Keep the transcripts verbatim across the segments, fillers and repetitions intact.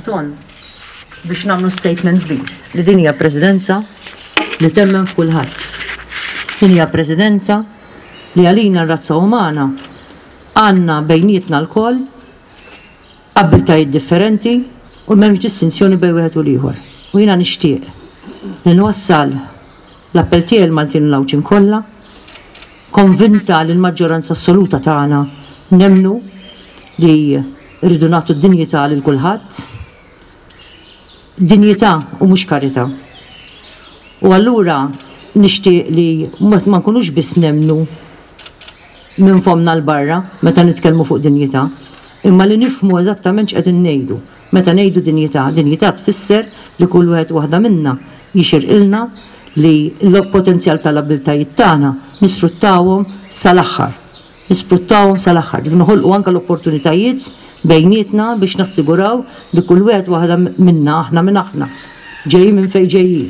Anton biex nagħmlu statement kbir li din hija presidenza li temmen f'kulħadd. Din hija presidenza li għalina r-razza umana għandna bejnietna lkoll abbiltajiet differenti u m'hemmx distinzjoni bejn wieħed u l-ieħor. U jiena nixtieq li nwassal l-appell tiegħi l-Maltin u l-Għawdxin kollha, konvinta li l-maġġoranza assoluta tagħna nemmnu li rridu nagħtu d-dinjità lil kulħadd, dinjità u mhux karità. U allura nixtieq li ma nkunux biss nemmnu minn fomna 'l barra meta nitkellmu fuq dinjità, imma li nifhmu eżattament x'qegħdin ngħidu. Meta ngħidu dinjità, dinjità tfisser li kull wieħed u waħda minna jixirqilna li l-potenzjal tal-abbiltajiet tagħna nisfruttawhom sal-aħħar. Nisfruttawhom sal-aħħar. Ġifieri noħolqu anke l-opportunitajiet bejnietna biex nassiguraw li kull wieħed waħda minna, aħna minn aħna, ġejjin minn fejn ġejjin,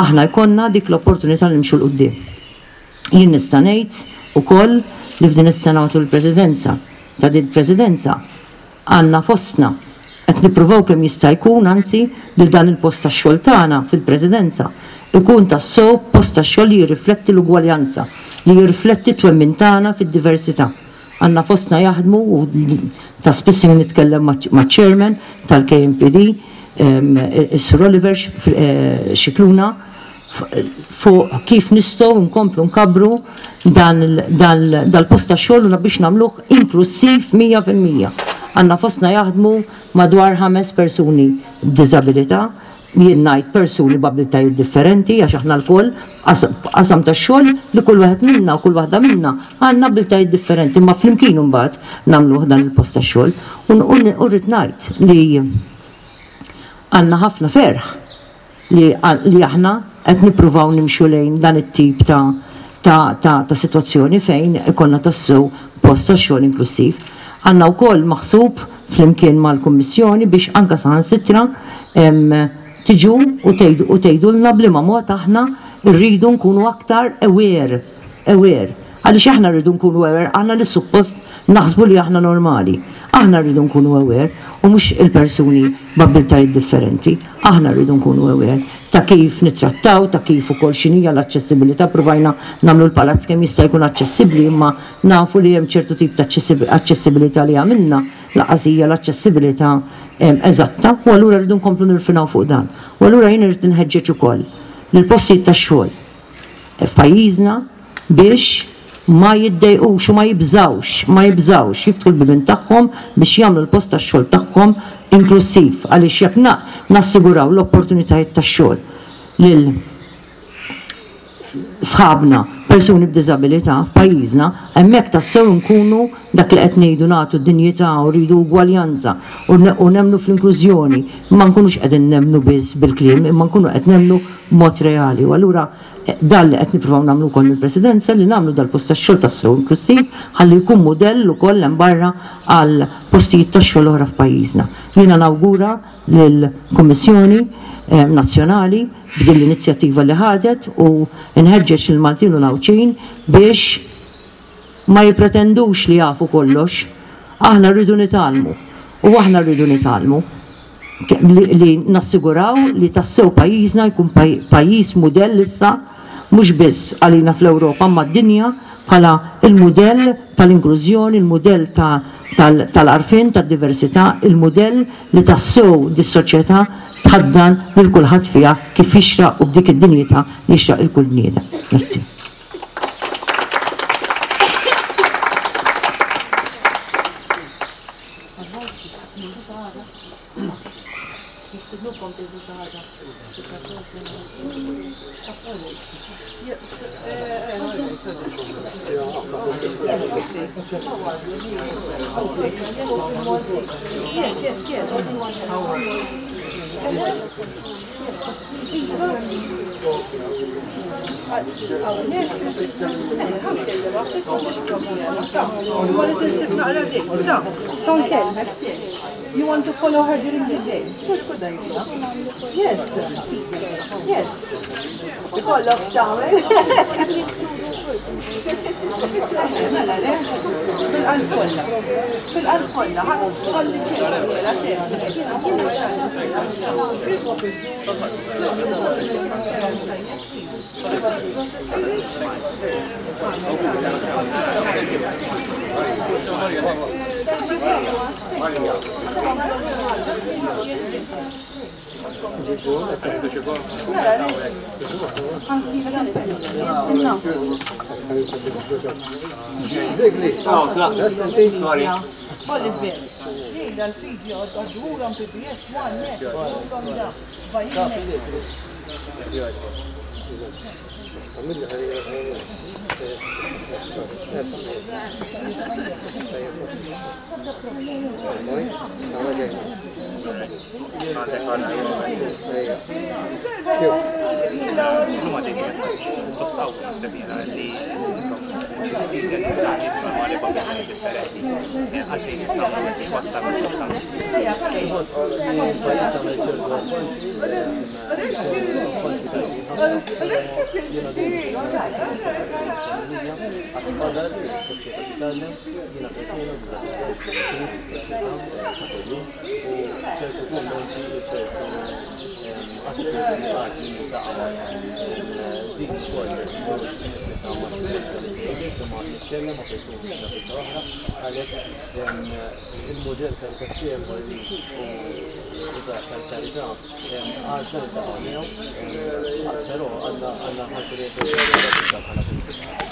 aħna jkollna dik l-opportunità li nimxu 'l quddiem. Jien nista' ngħid ukoll li f'din is-sena matul il-presidenza ta' din il-presidenza għandna fostna qed nippruvaw kemm jista' jkun, anzi, li dan il-post tax-xogħol tagħna fil-presidenza ikun tassew post tax-xogħol li jirrifletti l-ugwaljanza, li jirrifletti t-twemmin tagħna fid-diversità. Għandna fostna jaħdmu, u ta' spiss nitkellem maċ-chairman tal-K M P D, is-Sur Oliver Scicluna, fuq kif nistgħu nkomplu nkabbru dal-post ta' xogħol u biex nagħmluh inklusiv mija fil-mija. Għandna fostna jaħdmu madwar ħames persuni b'diżabilità, jien ngħid persuni b'abilitajiet differenti, għax aħna lkoll qasam ta' xogħol li kull wieħed minna u kull waħda minna għandna abbiltajiet differenti, imma flimkien imbagħad nagħmluh dan il-post ta' xogħol. U rrid ngħid li għandna ħafna ferħ li aħna qed nippruvaw nimxu lejn dan it-tip ta' ta' ta' ta' sitwazzjoni fejn ikollna tassew post ta' xogħol inklusiv. Għandna wkoll maħsub flimkien mal-Kummissjoni biex anka saħansitra tiġu u tgħidulna b'liema mod aħna rridu nkunu aktar aware, aware. Għaliex aħna rridu nkunu aware, aħna li suppost naħsbu li aħna normali. Aħna rridu nkunu aware u mhux il-persuni b'abbiltajiet differenti. Aħna rridu nkunu aware ta' kif nittrattaw, ta' kif ukoll x'inhija l-aċċessibilità. Provajna nagħmlu l-palazz kemm jista' jkun aċċessibbli, imma nafu li hemm ċertu tip ta' aċċessibilità li għamilna lanqas hija l-aċċessibilità eżatta, u allura rridu nkomplu nirfinaw fuq dan. U allura jien irrid nħeġġeġ ukoll lill-postijiet tax-xogħol f'pajjiżna biex ma jiddejqux u ma jibżawx, ma jibżawx jiftħu l-bibien tagħhom biex jagħmlu l-post tax-xogħol tagħhom inklusiv, għaliex jekk nassiguraw l-opportunitajiet tax-xogħol lil sħabna persuni b'diżabilità f'pajjiżna, hemmhekk tassew nkunu dak li qed ngħidu, nagħtu dinjità u rridu ugwaljanza u nemmnu fl-inklużjoni. Ma nkunux qegħdin nemmnu biss bil-kliem, imma nkunu qed nemmnu b'mod reali. U allura dan li qed nippruvaw nagħmlu wkoll mill-Presidenza, li nagħmlu dal-post tax-xogħol tassew inklusiv ħalli jkun mudell ukoll hemm barra għal postijiet tax-xogħol oħra f'pajjiżna. Jiena nawgura lill-Kummissjoni Nazzjonali b'din l-inizjattiva li ħadet u nħeġġeġ il-Maltin u l-Għawdxin biex ma jippretendux li jafu kollox. Aħna rridu nitgħallmu u aħna rridu nitgħallmu li nassiguraw li tassew pajjiżna jkun pajjiż mudell issa, mhux biss għalina fl-Ewropa ma d-dinja, bħala il-mudell tal-inklużjoni, il-mudell tal-għarfien, tad-diversità, il-mudell li tassew dis-soċjetà tħaddan lil kulħadd fiha kif jixraq u b'dik id-dinjità li jixraq lil kull bniedem. Grazzi. Yes, yes, yes. Iva. Hawnhekk, ħa nkellem, m'għandix problema, ta' imma li tinsib naqra date, ta' ta' nkellmek. You want to follow her during the day? Good, good idea. Yes. Yes. Ikollok x'tagħmel. Mela le, bil-qalb kollha. Bil-qalb kollha, ħa tħalli mela te. Mela le. Zigli, sorry. Oliver, jgħidha l-video għadħurom P B S one net, għadħurom da, bajjinek. Il-modell tal-kaxxija u tal-karità għażla li taqgħu miegħu, però għandna għandna ħarsu li bħala politika.